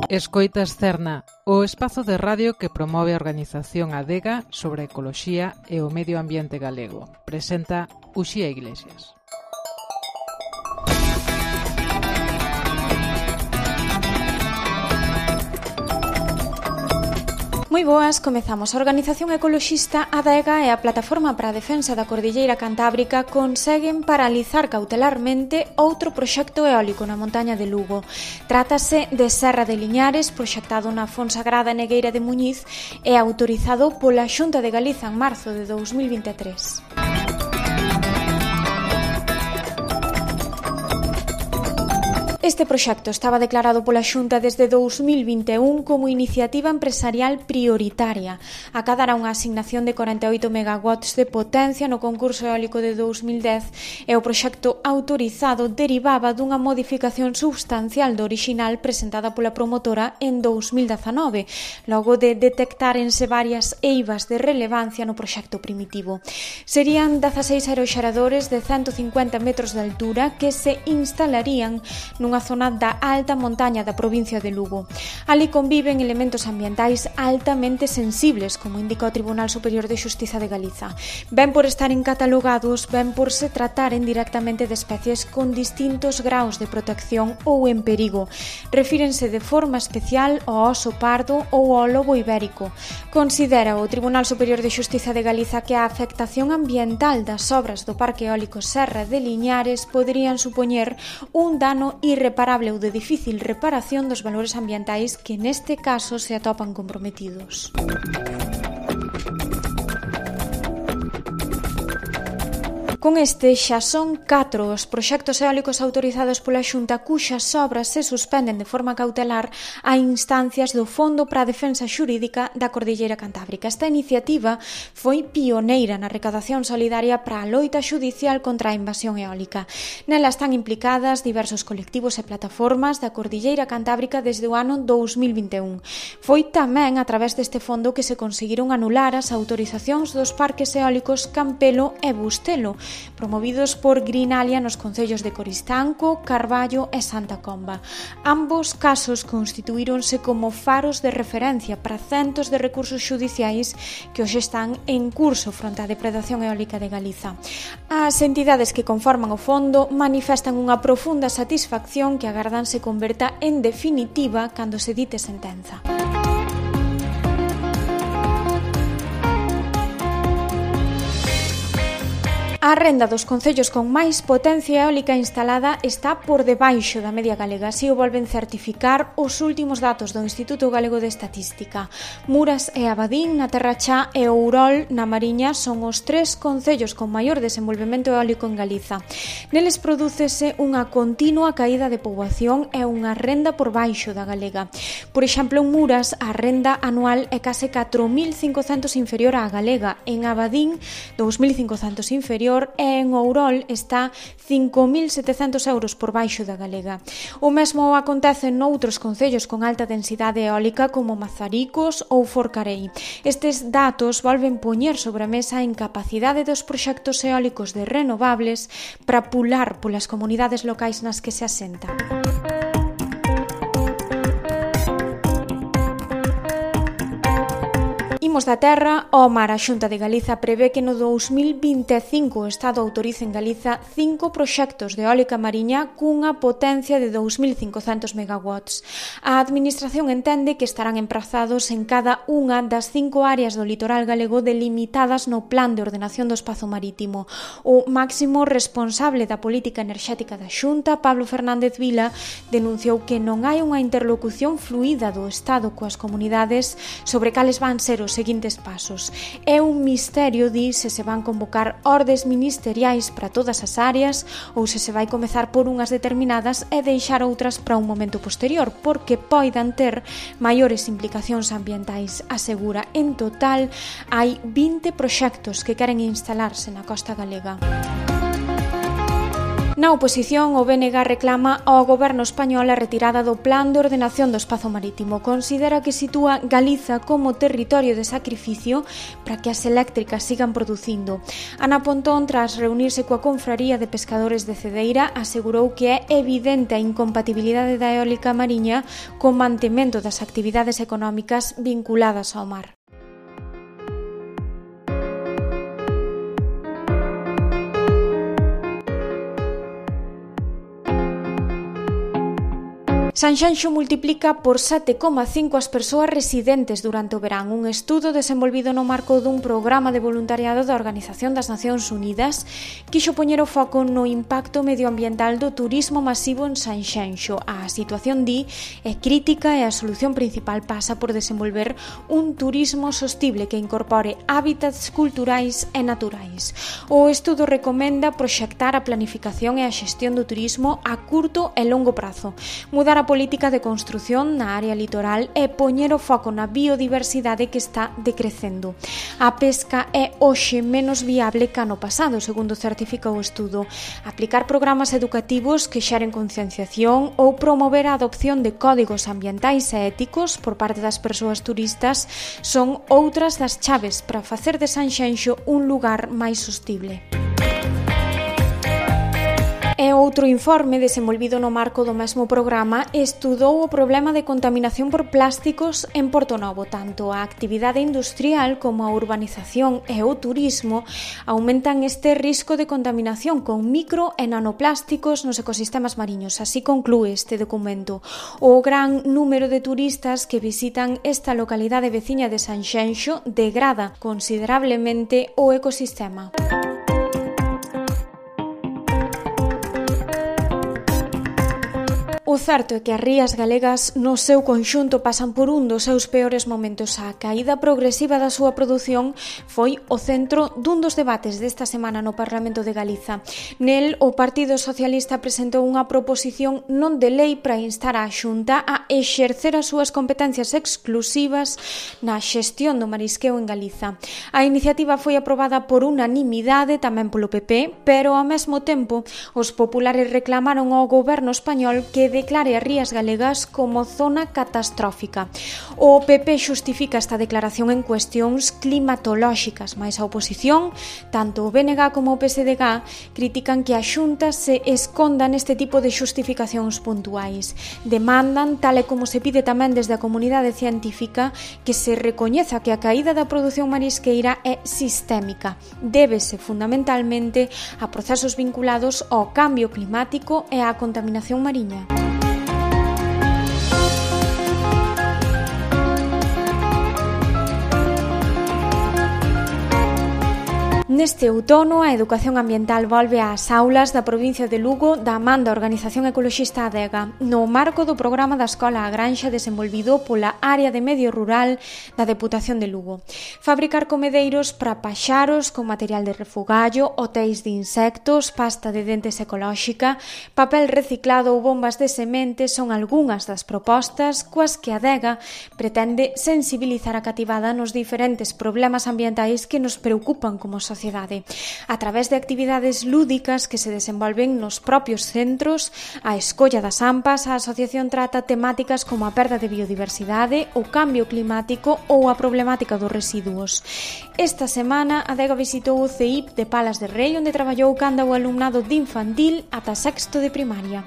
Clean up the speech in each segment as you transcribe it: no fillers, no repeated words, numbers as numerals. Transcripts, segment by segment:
Escoitas Cerna, o espazo de radio que promove a organización Adega sobre a ecoloxía e o medio ambiente galego. Presenta Uxía Iglesias. Moi boas, comezamos. A organización ecoloxista Adega e a Plataforma para a Defensa da Cordilleira Cantábrica conseguen paralizar cautelarmente outro proxecto eólico na montaña de Lugo. Trátase de Serra de Liñares, proxectado na Fonsagrada Negueira de Muñiz e autorizado pola Xunta de Galiza en marzo de 2023. Este proxecto estaba declarado pola Xunta desde 2021 como iniciativa empresarial prioritaria. Acadará unha asignación de 48 megawatts de potencia no concurso eólico de 2010 e o proxecto autorizado derivaba dunha modificación substancial do orixinal presentada pola promotora en 2019, logo de detectárense varias eivas de relevancia no proxecto primitivo. Serían 16 aeroxeradores de 150 metros de altura que se instalarían nunha zona da alta montaña da provincia de Lugo. Ali conviven elementos ambientais altamente sensibles, como indica o Tribunal Superior de Xustiza de Galiza. Ben por estaren catalogados, ben por se trataren directamente de especies con distintos graus de protección ou en perigo. Refírense de forma especial ao oso pardo ou ao lobo ibérico. Considera o Tribunal Superior de Xustiza de Galiza que a afectación ambiental das obras do Parque Eólico Serra de Liñares poderían supoñer un dano irreparable ou de difícil reparación dos valores ambientais que neste caso se atopan comprometidos. Con este xa son 4 os proxectos eólicos autorizados pola Xunta cuxas obras se suspenden de forma cautelar a instancias do Fondo para a Defensa Xurídica da Cordilleira Cantábrica. Esta iniciativa foi pioneira na recadación solidaria para a loita xudicial contra a invasión eólica. Nela están implicadas diversos colectivos e plataformas da Cordilleira Cantábrica desde o ano 2021. Foi tamén a través deste fondo que se conseguiron anular as autorizacións dos parques eólicos Campelo e Bustelo, promovidos por Greenalia nos concellos de Coristanco, Carballo e Santa Comba. Ambos casos constituíronse como faros de referencia para centos de recursos xudiciais que hoxe están en curso fronte á depredación eólica de Galiza. As entidades que conforman o fondo manifestan unha profunda satisfacción que agardan se converta en definitiva cando se dite sentenza. A renda dos concellos con máis potencia eólica instalada está por debaixo da media galega, así o volven certificar os últimos datos do Instituto Galego de Estatística. Muras e Abadín, na Terra Chá, e Ourol, na Mariña, son os 3 concellos con maior desenvolvemento eólico en Galiza. Neles prodúcese unha continua caída de poboación e unha renda por baixo da galega. Por exemplo, en Muras, a renda anual é case 4.500 inferior á galega, en Abadín, 2.500 inferior, e en Ourol está 5.700 euros por baixo da galega. O mesmo acontece noutros concellos con alta densidade eólica como Mazaricos ou Forcarei. Estes datos volven poñer sobre a mesa a incapacidade dos proxectos eólicos de renovables para pular polas comunidades locais nas que se asentan. Imos da terra ao mar. A Xunta de Galiza prevé que no 2025 o Estado autorice en Galiza 5 proxectos de eólica mariña cunha potencia de 2.500 megawatts. A Administración entende que estarán emprazados en cada unha das 5 áreas do litoral galego delimitadas no Plan de Ordenación do Espazo Marítimo. O máximo responsable da política enerxética da Xunta, Pablo Fernández Vila, denunciou que non hai unha interlocución fluida do Estado coas comunidades sobre cales van ser os seguintes pasos. É un misterio, di, se van convocar ordes ministeriais para todas as áreas ou se vai comezar por unhas determinadas e deixar outras para un momento posterior, porque poidan ter maiores implicacións ambientais. Asegura, en total, hai 20 proxectos que queren instalarse na costa galega. Na oposición, o BNG reclama ao goberno español a retirada do Plan de Ordenación do Espazo Marítimo. Considera que sitúa Galiza como territorio de sacrificio para que as eléctricas sigan producindo. Ana Pontón, tras reunirse coa Confraría de Pescadores de Cedeira, asegurou que é evidente a incompatibilidade da eólica mariña co mantemento das actividades económicas vinculadas ao mar. Sanxenxo multiplica por 7,5 as persoas residentes durante o verán. Un estudo desenvolvido no marco dun programa de voluntariado da Organización das Nacións Unidas quixo poñer o foco no impacto medioambiental do turismo masivo en Sanxenxo. A situación, di, é crítica e a solución principal pasa por desenvolver un turismo sostible que incorpore hábitats culturais e naturais. O estudo recomenda proxectar a planificación e a xestión do turismo a curto e longo prazo, mudar a política de construción na área litoral e poñer o foco na biodiversidade que está decrecendo. A pesca é hoxe menos viable que ano pasado, segundo certifica o estudo. Aplicar programas educativos que xeren concienciación ou promover a adopción de códigos ambientais e éticos por parte das persoas turistas son outras das chaves para facer de Sanxenxo un lugar máis sostible. E outro informe desenvolvido no marco do mesmo programa estudou o problema de contaminación por plásticos en Portonovo. Tanto a actividade industrial como a urbanización e o turismo aumentan este risco de contaminación con micro e nanoplásticos nos ecosistemas mariños. Así conclúe este documento. O gran número de turistas que visitan esta localidade veciña de Sanxenxo degrada considerablemente o ecosistema. O certo é que as rías galegas no seu conxunto pasan por un dos seus peores momentos. A caída progresiva da súa produción foi o centro dun dos debates desta semana no Parlamento de Galiza. Nel, o Partido Socialista presentou unha proposición non de lei para instar a Xunta a exercer as súas competencias exclusivas na xestión do marisqueo en Galiza. A iniciativa foi aprobada por unanimidade tamén polo PP, pero ao mesmo tempo os populares reclamaron ao goberno español que declare as rías galegas como zona catastrófica. O PP xustifica esta declaración en cuestións climatolóxicas, mais a oposición, tanto o BNG como o PSDG, critican que a Xunta se esconda neste tipo de xustificacións puntuais. Demandan, tal e como se pide tamén desde a comunidade científica, que se recoñeza que a caída da produción marisqueira é sistémica. Débese fundamentalmente a procesos vinculados ao cambio climático e á contaminación mariña. Neste outono, a educación ambiental volve ás aulas da provincia de Lugo da man da Organización Ecoloxista Adega, no marco do programa da Escola A Granxa desenvolvido pola área de medio rural da Deputación de Lugo. Fabricar comedeiros para paxaros con material de refugallo, hotéis de insectos, pasta de dentes ecolóxica, papel reciclado ou bombas de semente son algunhas das propostas coas que Adega pretende sensibilizar a cativada nos diferentes problemas ambientais que nos preocupan como sociedade. A través de actividades lúdicas que se desenvolven nos propios centros, a escolla das AMPAs, a asociación trata temáticas como a perda de biodiversidade, o cambio climático ou a problemática dos residuos. Esta semana, Adega visitou o CEIP de Palas de Rei, onde traballou canda o alumnado de infantil ata sexto de primaria.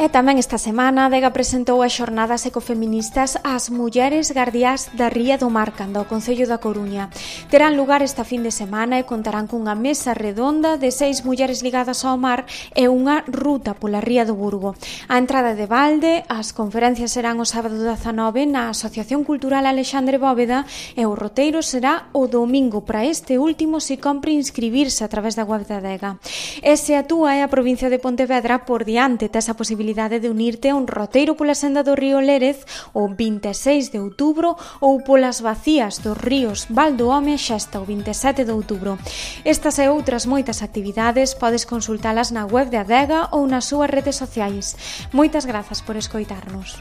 E tamén esta semana, Adega presentou as xornadas ecofeministas ás mulleres guardiás da Ría do Mar, canda ao Concello da Coruña. Terán lugar esta fin de semana e contarán cunha mesa redonda de 6 mulleres ligadas ao mar e unha ruta pola Ría do Burgo. A entrada de balde, as conferencias serán o sábado 19 na Asociación Cultural Alexandre Bóveda e o roteiro será o domingo. Para este último se compre inscribirse a través da web da Adega. E se a túa é a provincia de Pontevedra, por diante tes a posibilidade de unirte a un roteiro pola senda do río Lérez o 26 de outubro ou polas vacías dos ríos Val do Home e Xesta o 27 de outubro. Estas e outras moitas actividades podes consultalas na web de Adega ou nas súas redes sociais. Moitas grazas por escoitarnos.